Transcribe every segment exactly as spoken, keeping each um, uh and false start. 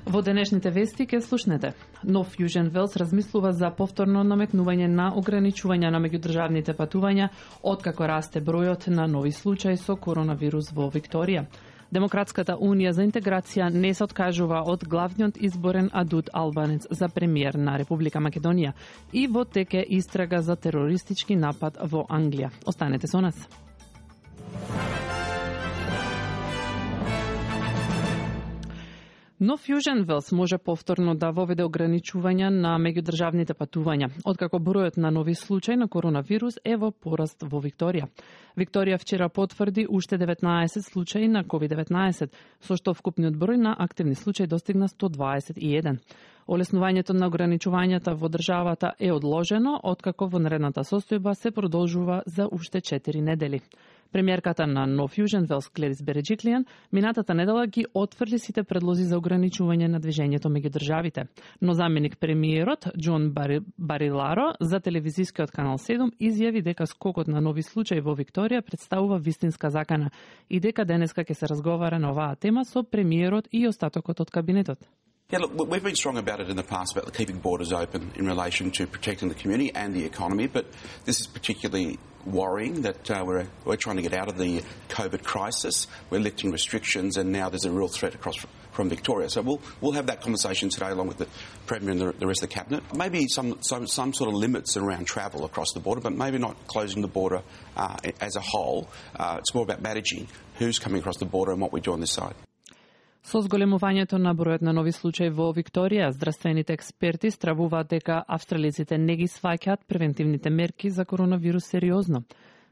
Во денешните вести ке слушнете. Нов Јужен Велс размислува за повторно наметнување на ограничувања на меѓудржавните патувања откако расте бројот на нови случаи со коронавирус во Викторија. Демократската унија за интеграција не се откажува од главниот изборен адут албанец за премиер на Република Македонија и во теке истрага за терористички напад во Англија. Останете со нас. Нов Јужен Велс може повторно да воведе ограничувања на меѓудржавните патувања, откако бројот на нови случаи на коронавирус е во пораст во Викторија. Викторија вчера потврди уште деветнаесет случаи на ковид деветнаесет, со што вкупниот број на активни случаи достигна сто дваесет и еден. Олеснувањето на ограничувањата во државата е одложено, откако вонредната состојба се продолжува за уште четири недели. Премиерката на Нов Јужен Велс Гледис Береджиклијан минатата недела ги отфрли сите предлози за ограничување на движењето меѓу државите. Но заменик премиерот Џон Бари, Бариларо за телевизискиот канал седум изјави дека скокот на нови случаи во Викторија представува вистинска закана и дека денеска ќе се разговара на оваа тема со премиерот и остатокот од кабинетот. Yeah, look, we've been strong about it in the past about keeping borders open in relation to protecting the community and the economy, but this is particularly worrying that uh, we're, we're trying to get out of the COVID crisis. We're lifting restrictions and now there's a real threat across from Victoria. So we'll, we'll have that conversation today along with the Premier and the, the rest of the Cabinet. Maybe some, some, some sort of limits around travel across the border, but maybe not closing the border uh, as a whole. Uh, it's more about managing who's coming across the border and what we do on this side. Со зголемувањето на бројот на нови случаи во Викторија, здравствените експерти стравуваат дека австралиците не ги сваќаат превентивните мерки за коронавирус сериозно.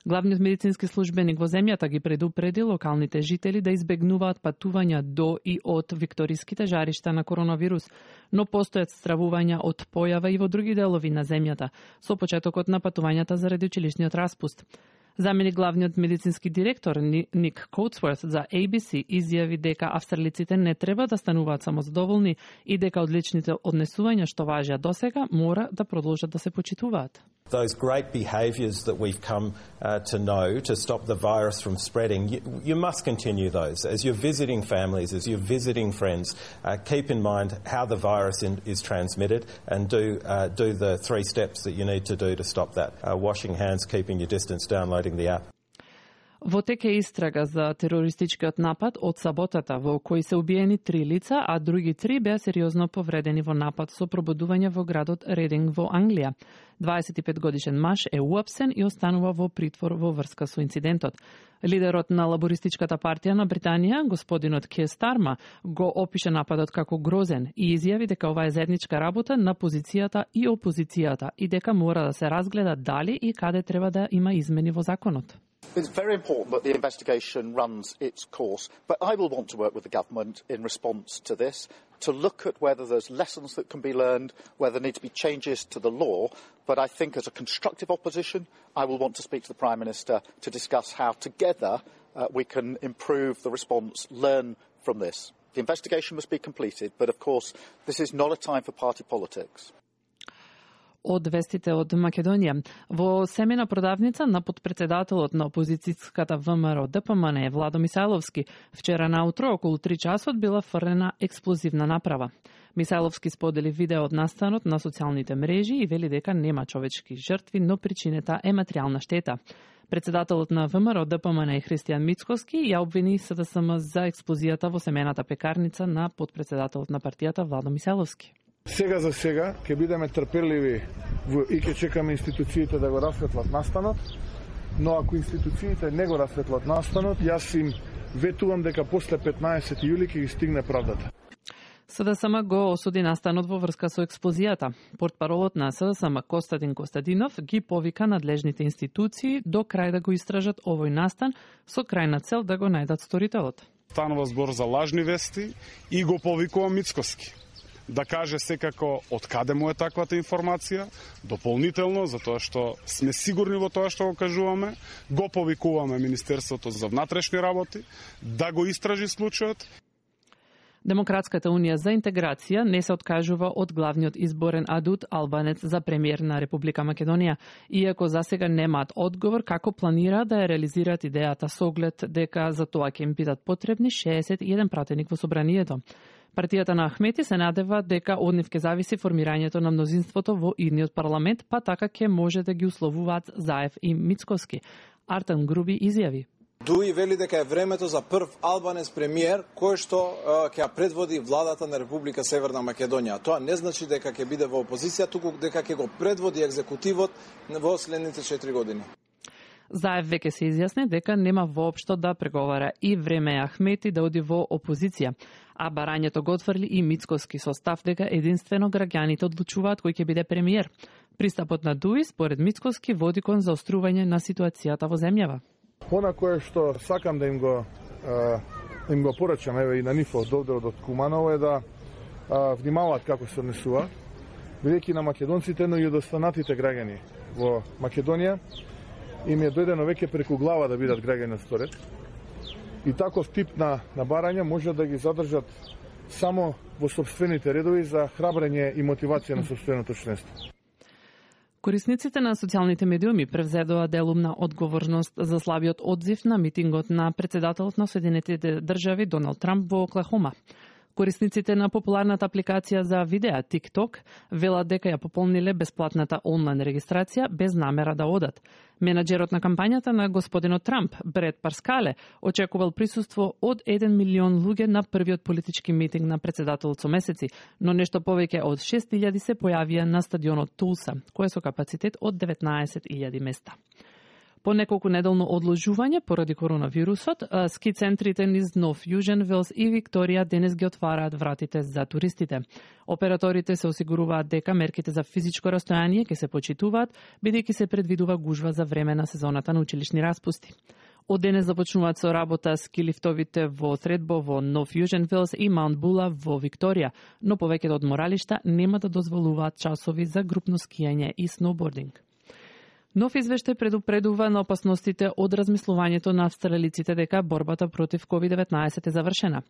Главниот медицински службеник во земјата ги предупреди локалните жители да избегнуваат патувања до и од викториските жаришта на коронавирус, но постојат стравувања од појава и во други делови на земјата, со почетокот на патувањата заради училишниот распуст. Заменик главниот медицински директор Ник Коутсворт за A B C изјави дека австралиците не треба да стануваат самозадоволни и дека одличните однесувања што важеа досега мора да продолжат да се почитуваат. Those great behaviours that we've come uh, to know to stop the virus from spreading, you, you must continue those. As you're visiting families, as you're visiting friends, uh, keep in mind how the virus in, is transmitted and do, uh, do the three steps that you need to do to stop that. Uh, washing hands, keeping your distance, downloading the app. Во теке истрага за терористичкиот напад од саботата во кој се убиени три лица, а други три беа сериозно повредени во напад со пробудување во градот Рединг во Англија. дваесет и пет годишен маж е уапсен и останува во притвор во врска со инцидентот. Лидерот на лабористичката партија на Британија, господинот Кир Старма, го опише нападот како грозен и изјави дека ова е заедничка работа на позицијата и опозицијата и дека мора да се разгледа дали и каде треба да има измени во законот. It's very important that the investigation runs its course, but I will want to work with the government in response to this, to look at whether there's lessons that can be learned, whether there need to be changes to the law, but I think as a constructive opposition, I will want to speak to the Prime Minister to discuss how together uh, we can improve the response, learn from this. The investigation must be completed, but of course, this is not a time for party politics. Од вестите од Македонија. Во семена продавница на подпредседателот на опозицијската ВМРО Д П М Н Владо Мисајловски вчера наутро околу три часот била фрлена експлозивна направа. Мисајловски сподели видео од настанот на социјалните мрежи и вели дека нема човечки жртви, но причината е материјална штета. Председателот на ВМРО Д П М Н Христијан Мицкоски ја обвини С Д С М за експлозијата во семената пекарница на подпредседателот на партијата Владо Мисајловски. Сега за сега ќе бидеме трпеливи и ќе чекаме институциите да го расветлат настанот, но ако институциите не го расветлат настанот, јас им ветувам дека после петнаесет јули ќе ги стигне правдата. С Д С М го осуди настанот во врска со експлозијата. Портпаролот на С Д С М Костадин Костадинов ги повика надлежните институции до крај да го истражат овој настан со крајна цел да го најдат сторителот. Станува збор за лажни вести и го повикува Мицкоски да каже секако од каде му е таквата информација, дополнително, затоа што сме сигурни во тоа што го кажуваме, го повикуваме Министерството за внатрешни работи да го истражи случајот. Демократската унија за интеграција не се откажува од главниот изборен адут албанец за премиер на Република Македонија, иако засега немаат одговор како планира да ја реализираат идејата со оглед дека за тоа ќе им бидат потребни шеесет и еден пратеник во собранието. Партијата на Ахмети се надева дека од нив ќе зависи формирањето на мнозинството во идниот парламент, па така ќе може да ги условуваат Заев и Мицкоски. Артем Груби изјави: Дуи вели дека е времето за прв албанец премиер кој што ќе ја предводи владата на Република Северна Македонија. Тоа не значи дека ќе биде во опозиција, туку дека ќе го предводи екзекутивот во следните четири години. Заев веќе се изјасни дека нема воопшто да преговара и време е Ахмети да оди во опозиција, а барањето го отфрли и Мицкоски со став дека единствено граѓаните одлучуваат кој ќе биде премиер. Пристапот на Дуи според Мицкоски води кон заострување на ситуацијата во земјава. Она кое што сакам да им го а, им го порачам еве и на нив од од Куманово е да а, внимаваат како се однесуваат, бидејќи на македонците, но и од останатите граѓани во Македонија им е дојдено веќе преку глава да бидат граѓани од вторет. И таков тип на, на барања може да ги задржат само во сопствените редови за храбрење и мотивација на сопственото членство. Корисниците на социјалните медиуми превзедоа делумна одговорност за слабиот одзив на митингот на председателот на Соединетите држави Доналд Трамп во Оклахома. Корисниците на популарната апликација за видеа TikTok велат дека ја пополниле бесплатната онлайн регистрација без намера да одат. Менаџерот на кампањата на господинот Трамп, Бред Парскале, очекувал присуство од еден милион луѓе на првиот политички митинг на председателот со месеци, но нешто повеќе од шест илјади се појавија на стадионот Тулса, кој е со капацитет од деветнаесет илјади места. По неколку неделно одложување поради коронавирусот, ски центрите низ Нов Јужен Велс и Викторија денес ги отвараат вратите за туристите. Операторите се осигуруваат дека мерките за физичко растојание ќе се почитуваат, бидејќи се предвидува гужва за време на сезоната на училишни распусти. Од денес започнуваат со работа ски лифтовите во Средбо во Нов Јужен Велс и Маунт Була во Викторија, но повеќето одморалишта нема да дозволуваат часови за групно скијање и сноубординг. Нов извештај предупредува на опасностите од размислувањето на австралиците дека борбата против ковид деветнаесет е завршена.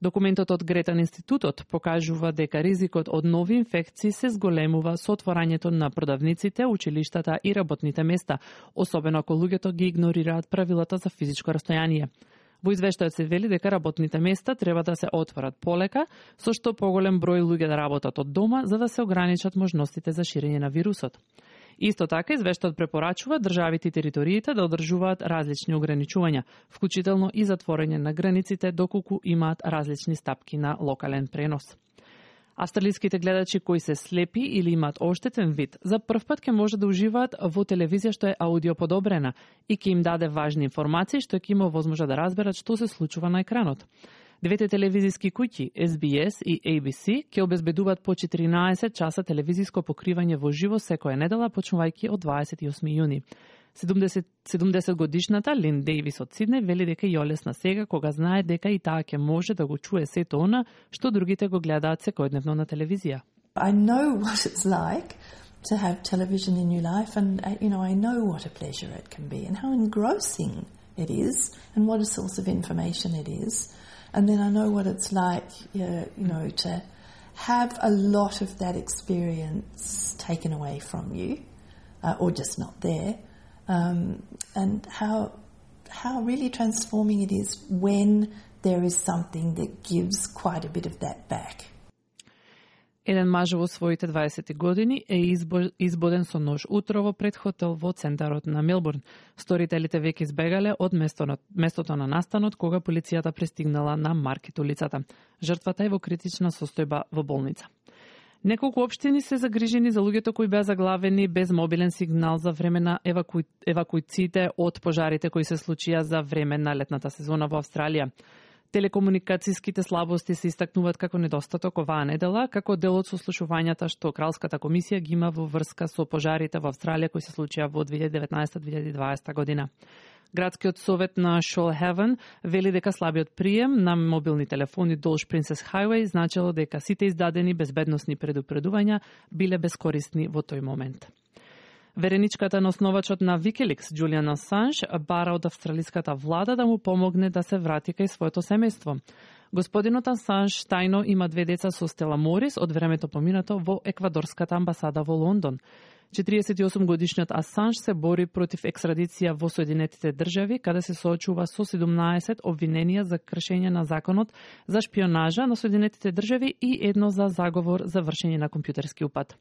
Документот од Гретан институтот покажува дека ризикот од нови инфекции се зголемува со отворањето на продавниците, училиштата и работните места, особено ако луѓето ги игнорираат правилата за физичко растојание. Во извештајот се вели дека работните места треба да се отворат полека, со што поголем број луѓе да работат од дома за да се ограничат можностите за ширење на вирусот. Исто така, извештајот препорачува државите и териториите да одржуваат различни ограничувања, вклучително и затворање на границите доколку имаат различни стапки на локален пренос. Австралиските гледачи кои се слепи или имаат оштетен вид, за прв пат ќе може да уживаат во телевизија што е аудио подобрена и ќе им даде важни информации што ќе има возможност да разберат што се случува на екранот. Двете телевизиски куќи, Ес Би Ес и Ей Би Си, ќе обезбедуваат по четиринаесет часа телевизиско покривање во живо секоја недела, почнувајќи од дваесет и осми јуни. седумдесет годишната Лин Дејвис од Сиднеј вели дека ја олесна сега кога знае дека и таа ќе може да го чуе сето она што другите го гледаат секојдневно на телевизија. I know what it's like to have television in your life and you know I know what a pleasure it can be and how engrossing it is and what a source of information it is. And then I know what it's like, uh, you know, to have a lot of that experience taken away from you, uh, or just not there, um, and how how really transforming it is when there is something that gives quite a bit of that back. Еден маж во своите дваесет години е избоден со нож утрово пред хотел во центарот на Мелбурн. Сторителите веќе избегале од местото на настанот кога полицијата пристигнала на Маркет улицата. Жртвата е во критична состојба во болница. Неколку општини се загрижени за луѓето кои беа заглавени без мобилен сигнал за време на еваку... евакуациите од пожарите кои се случија за време на летната сезона во Австралија. Телекомуникацијските слабости се истакнуваат како недостаток оваа недела, како дел од сослушувањата што Кралската комисија ги има во врска со пожарите во Австралија кои се случија во две илјади деветнаесета - две илјади дваесета година. Градскиот совет на Shoalhaven вели дека слабиот прием на мобилни телефони долж Принцес Хајвеј значело дека сите издадени безбедносни предупредувања биле бескорисни во тој момент. Вереничката на основачот на Wikileaks, Джулиан Асанж, бара од австралиската влада да му помогне да се врати кај своето семејство. Господинот Асанж тајно има две деца со Стела Морис од времето поминато во еквадорската амбасада во Лондон. четириесет и осум годишниот Асанж се бори против екстрадиција во Соединетите држави, каде се соочува со седумнаесет обвиненија за кршење на законот за шпионажа на Соединетите држави и едно за заговор за вршење на компјутерски упад.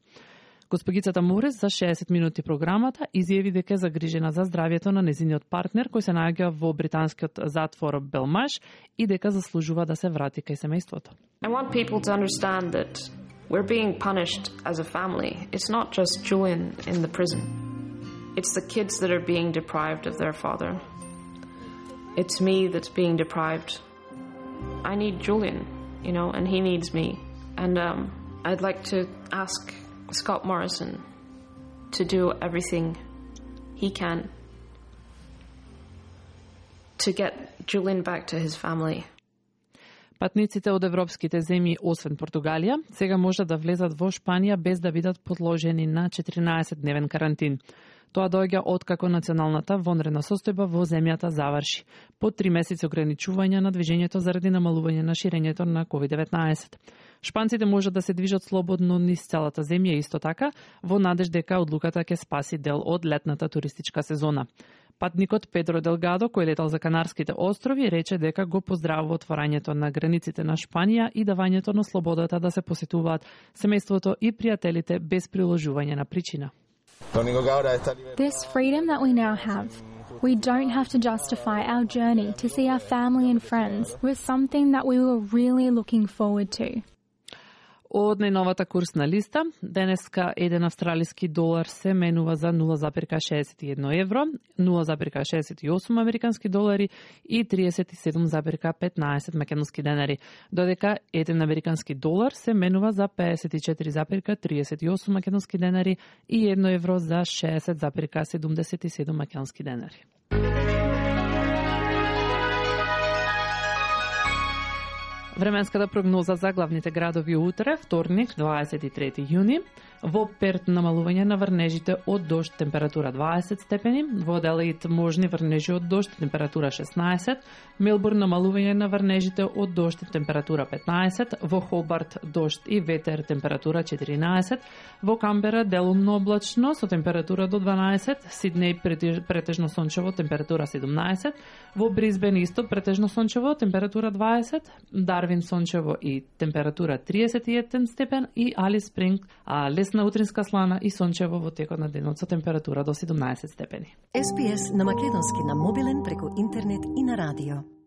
Госпогицата Морис за шеесет минути програмата изјави дека е загрижена за здравјето на незиниот партнер кој се наоѓа во британскиот затвор Белмаш и дека заслужува да се врати кај семејството. I want people to understand that we're being punished as a family. It's not just Julian in the prison. It's the kids that are being deprived of their father. It's me that's being deprived. I need Julian, you know, and he needs me. And um, I'd like to ask Scott Morrison to do everything he can to get Julian back to his family. Патниците од европските земји, освен Португалија, сега можат да влезат во Шпанија без да бидат подложени на четиринаесет-дневен карантин. Тоа доаѓа откако националната вонредна состојба во земјата заврши, по три месеци ограничување на движењето заради намалување на ширењето на ковид деветнаесет. Шпанците можат да се движат слободно низ целата земја исто така, во надеж дека одлуката ќе спаси дел од летната туристичка сезона. Патникот Педро Делгадо, кој летал за Канарските острови, рече дека го поздравува отворањето на границите на Шпанија и давањето на слободата да се посетуваат семејството и пријателите без приложување на причина. This freedom that we now have, we don't have to justify our journey to see our family and friends with something that we were really looking forward to. Од најновата курсна листа, денеска еден австралиски долар се менува за нула запирка шеесет и едно евро, нула запирка шеесет и осум американски долари и триесет и седум запирка петнаесет македонски денари, додека еден американски долар се менува за пеесет и четири запирка триесет и осум македонски денари и едно евро за шеесет запирка седумдесет и седум македонски денари. Временската прогноза за главните градови утре, вторник, дваесет и трети јуни. Во Перт намалување на врнежите од дожд, температура дваесет степени. Во Аделаид можни врнежи од дожд, температура шеснаесет. Мелбурн намалување на врнежите од дожд, температура петнаесет. Во Хобарт дожд и ветер, температура четиринаесет. Во Камбера делумно облачно со температура до дванаесет. Сиднеј претежно сончево, температура седумнаесет. Во Брисбен исто претежно сончево, температура дваесет. Дарвин сончево и температура триесет и еден степен и Алис Спринг а лесна утринска слана и сончево во текот на денот со температура до седумнаесет степени. Ес Би Ес на македонски на мобилен преку интернет и на радио.